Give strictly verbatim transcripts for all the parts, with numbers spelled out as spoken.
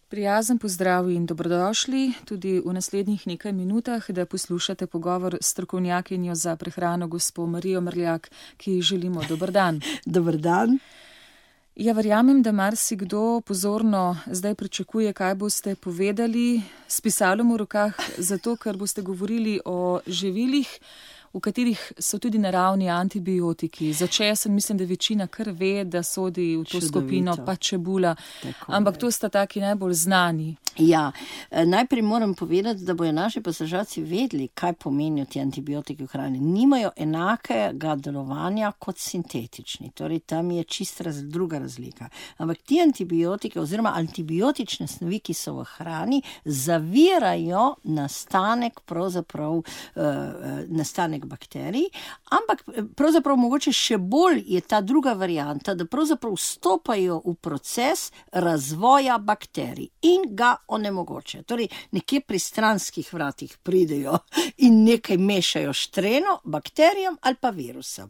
Prijazen pozdrav in dobrodošli tudi v naslednjih nekaj minutah, da poslušate pogovor s strokovnjakinjo za prehrano gospo Marijo Mrljak, ki ji želimo dober dan. Dober dan. Ja, verjamem, da marsikdo pozorno zdaj pričakuje, kaj boste povedali s pisalom v rokah, zato ker boste govorili o živilih, v katerih so tudi naravni antibiotiki. Za česen mislim, da večina kar ve, da sodi v to Čudovito. skupino, pa čebula, Tako ampak je. to sta taki najbolj znani. Ja, najprej moram povedati, da bojo naši poslušalci vedeli, kaj pomenijo ti antibiotiki v hrani. Nimajo enakega delovanja kot sintetični, torej tam je čist raz, druga razlika. Ampak ti antibiotiki oziroma antibiotične snovi, ki so v hrani, zavirajo nastanek pravzaprav uh, nastanek bakterij, ampak pravzaprav mogoče še bolj je ta druga varianta, da pravzaprav vstopajo v proces razvoja bakterij in ga onemogoče. Torej, nekje pri stranskih vratih pridejo in nekaj mešajo štreno bakterijam ali pa virusom.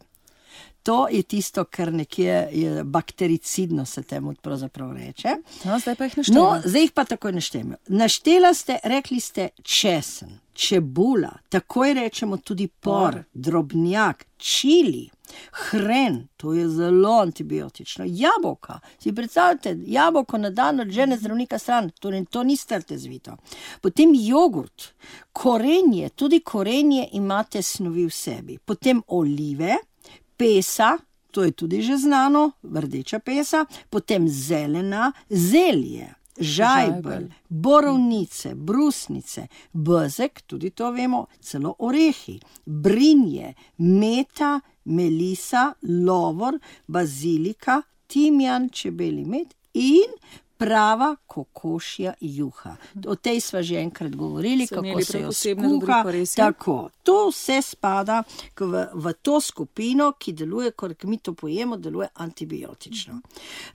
To je tisto, kar nekje je baktericidno, se temu pravzaprav reče. No, zdaj pa jih naštejemo. No, zdaj jih pa takoj naštejemo. Naštela ste, rekli ste česen, čebula, takoj rečemo tudi por, drobnjak, čili, hren, to je zelo antibiotično, jabolka, si predstavljate, jabolko na dan od žene zdravnika stran, torej to ni strte zvito. Potem jogurt, korenje, tudi korenje imate snovi v sebi, potem olive, pesa, to je tudi že znano, rdeča pesa, potem zelena, zelje, žajbelj, borovnice, brusnice, bezeg, tudi to vemo, celo orehi, brinje, meta, melisa, lovor, bazilika, timjan, čebelji med in prava kokošja juha. O tej sva že enkrat govorili, So kako imeli se prav jo posebno skuha. rubriko, res je? Tako, to vse spada k- v, v to skupino, ki deluje, ko mi to pojemo, deluje antibiotično.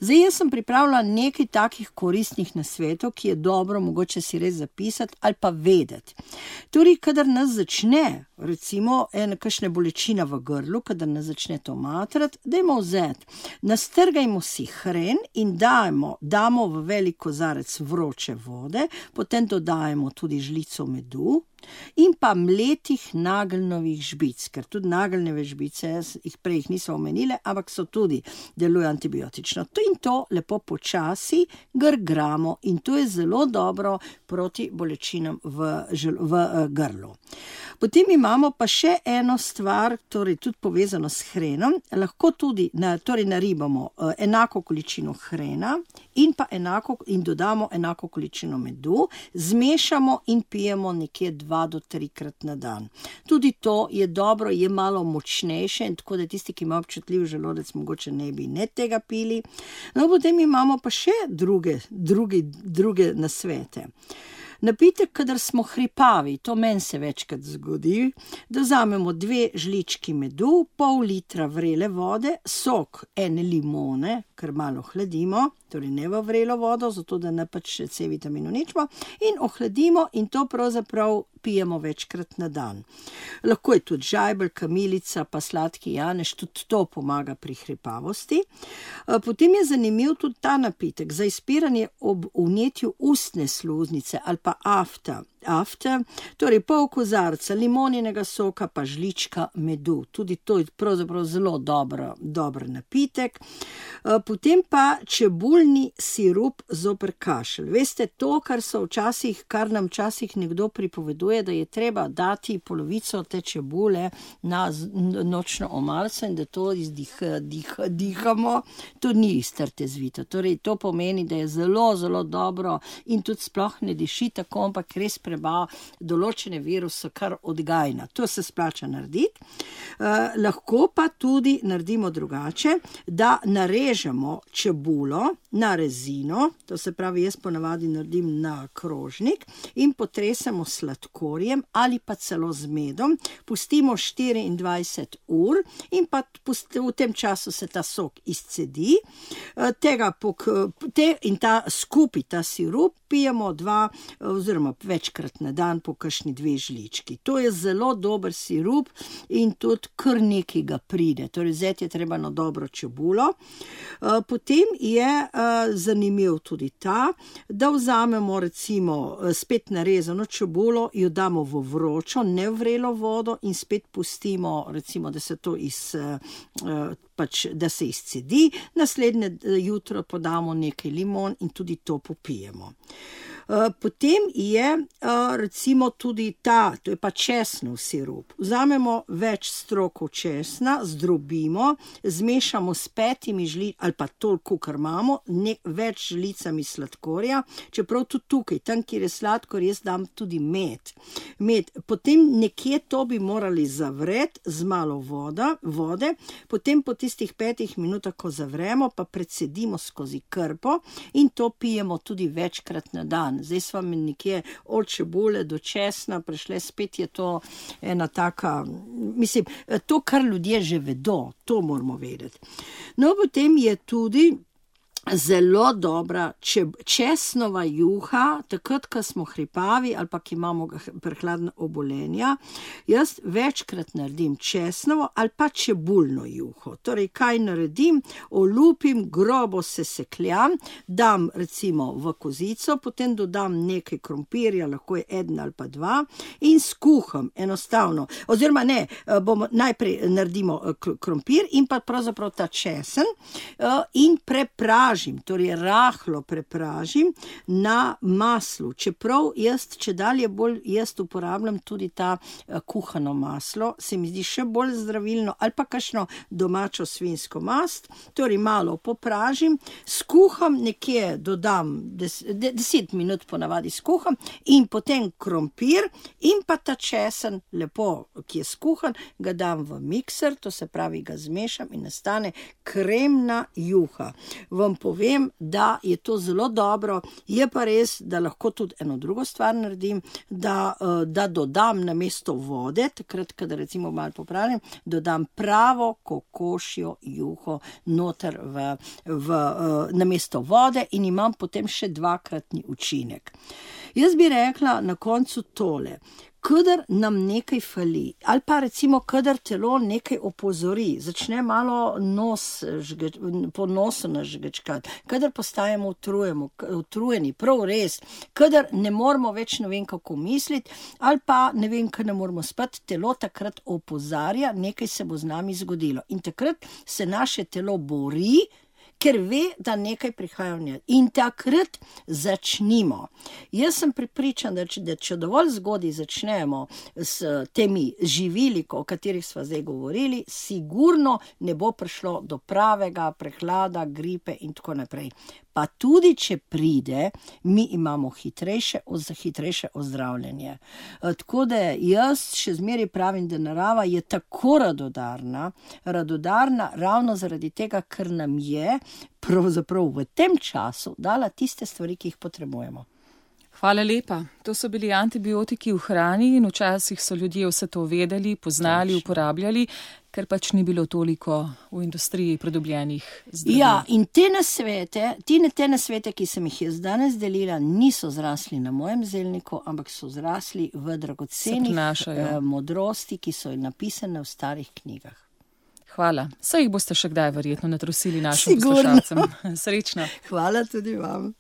Zdaj, jaz sem pripravila nekaj takih koristnih nasvetov, ki je dobro mogoče si res zapisati ali pa vedeti. Torej, kadar nas začne, recimo, ena kakšna bolečina v grlu, kadar nas začne to matrati, dajmo vzeti, nastrgajmo si hren in dajmo, damo v velik kozarec vroče vode, potem dodajemo tudi žlico medu in pa mletih nageljnovih žbic, ker tudi nageljnove žbice, jih prej jih niso omenile, ampak so tudi delujejo antibiotično. To in to lepo počasi grgramo in to je zelo dobro proti bolečinam v, žel, v uh, grlu. Potem imamo pa še eno stvar, torej tudi povezano s hrenom, lahko tudi na, torej naribamo uh, enako količino hrena in pa enako in dodamo enako količino medu, zmešamo in pijemo nekje dva do trikrat na dan. Tudi to je dobro, je malo močnejše in tako da tisti, ki ima občutljiv želodec, mogoče ne bi ne tega pili. No, potem imamo pa še druge, druge, druge nasvete. Napitek, kadar smo hripavi, to meni se večkrat zgodi, da vzamemo dve žlički medu, pol litra vrele vode, sok ene limone, ker malo hladimo, torej ne v vrelo vodo, zato da ne pač še C vitamin uničimo, in ohladimo in to pravzaprav pijemo večkrat na dan. Lahko je tudi žajbelj, kamilica, pa sladki janež, tudi to pomaga pri hripavosti. Potem je zanimiv tudi ta napitek za izpiranje ob vnetju ustne sluznice ali pa afta. Afta, torej pol kozarca limoninega soka pa žlička medu. Tudi to je pravzaprav zelo dobro, dober napitek. Potem pa čebulni sirup zoper kašelj. Veste, to, kar so včasih, kar nam včasih nekdo pripoveduje, da je treba dati polovico te čebule na nočno omarico in da to izdih, dih, dihamo, to ni strte zvito. Torej, to pomeni, da je zelo, zelo dobro in tudi sploh ne diši tako, ampak res prebava določene viruse kar odgajna. To se splača narediti. Eh, lahko pa tudi naredimo drugače, da narežemo čebulo na rezino, to se pravi, jaz ponavadi naredim na krožnik in potresemo sladkorjem ali pa celo z medom, pustimo štiriindvajset ur in pa v tem času se ta sok izcedi, tega pok, te, in ta skupaj, ta sirup, pijemo dva oziroma večkrat na dan po kakšni dve žlički. To je zelo dober sirup in tudi kar nekaj ga pride. Torej, vzeti je treba na dobro čebulo. Potem je zanimiv tudi ta, da vzamemo recimo spet narezano čebulo, jo damo v vročo, ne vrelo vodo in spet pustimo, recimo, da se to iz, pač, da se izcedi, naslednje jutro podamo nekaj limon in tudi to popijemo. Potem je recimo tudi ta, to je pa česnov sirup. Vzamemo več strokov česna, zdrobimo, zmešamo s petimi žlicami, ali pa toliko, kar imamo, ne, več žlicami sladkorja, čeprav tudi tukaj, tam, kjer je sladkor, jaz dam tudi med. med. Potem nekje to bi morali zavreti z malo voda, vode, potem po tistih petih minutah, ko zavremo, pa precedimo skozi krpo in to pijemo tudi večkrat na dan. Zdaj sva mi nekje od čebule do česna prešle, spet je to ena taka, mislim, to, kar ljudje že vedo, to moramo vedeti. No, potem je tudi zelo dobra česnova juha, takrat, ko smo hripavi ali pa ki imamo prehladna obolenja. Jaz večkrat naredim česnovo ali pa čebulno juho. Torej, kaj naredim? Olupim, grobo se sekljam, dam recimo v kozico, potem dodam nekaj krompirja, lahko je eden ali pa dva in skuham enostavno. Oziroma ne, bomo najprej naredimo krompir in pa pravzaprav ta česen in prepražim. Torej rahlo prepražim na maslu, čeprav jaz, če dalje bolj jaz uporabljam tudi ta kuhano maslo, se mi zdi še bolj zdravilno, ali pa kakšno domačo svinjsko mast, torej malo popražim, skuham, nekje dodam des, deset minut ponavadi skuham in potem krompir in pa ta česen lepo, ki je skuhan, ga dam v mikser, to se pravi, ga zmešam in nastane kremna juha. Vam povem, da je to zelo dobro, je pa res, da lahko tudi eno drugo stvar naredim, da, da dodam namesto vode, takrat, kada recimo malo popravim, dodam pravo kokošjo juho noter v, v, namesto vode in imam potem še dvakratni učinek. Jaz bi rekla na koncu tole. Kadar nam nekaj fali, ali pa recimo, kadar telo nekaj opozori, začne malo nos, žgeč, po nosu nas žgečkati, kadar postajamo utrujemo, utrujeni, prav res, kadar ne moramo več ne vem kako misliti, ali pa ne vem, kaj ne moramo spati, telo takrat opozarja, nekaj se bo z nami zgodilo. In takrat se naše telo bori, ker ve, da nekaj prihaja v njej. In takrat začnimo. Jaz sem prepričan, da če, da če dovolj zgodaj začnemo s temi živili, o katerih sva zdaj govorili, sigurno ne bo prišlo do pravega prehlada, gripe in tako naprej. Pa tudi, če pride, mi imamo hitrejše, hitrejše ozdravljanje. Tako da jaz še zmeraj pravim, da narava je tako radodarna, radodarna ravno zaradi tega, ker nam je pravzaprav v tem času dala tiste stvari, ki jih potrebujemo. Hvala lepa. To so bili antibiotiki v hrani in včasih so ljudje vse to vedeli, poznali, uporabljali, ker pač ni bilo toliko v industriji pridobljenih zdravil. Ja, in te nasvete, te nasvete, ki sem jih jaz danes delila, niso zrasli na mojem zelniku, ampak so zrasli v dragocenih modrosti, ki so napisane v starih knjigah. Hvala. Saj jih boste še kdaj verjetno natrusili našim poslušalcem. Srečno. Hvala tudi vam.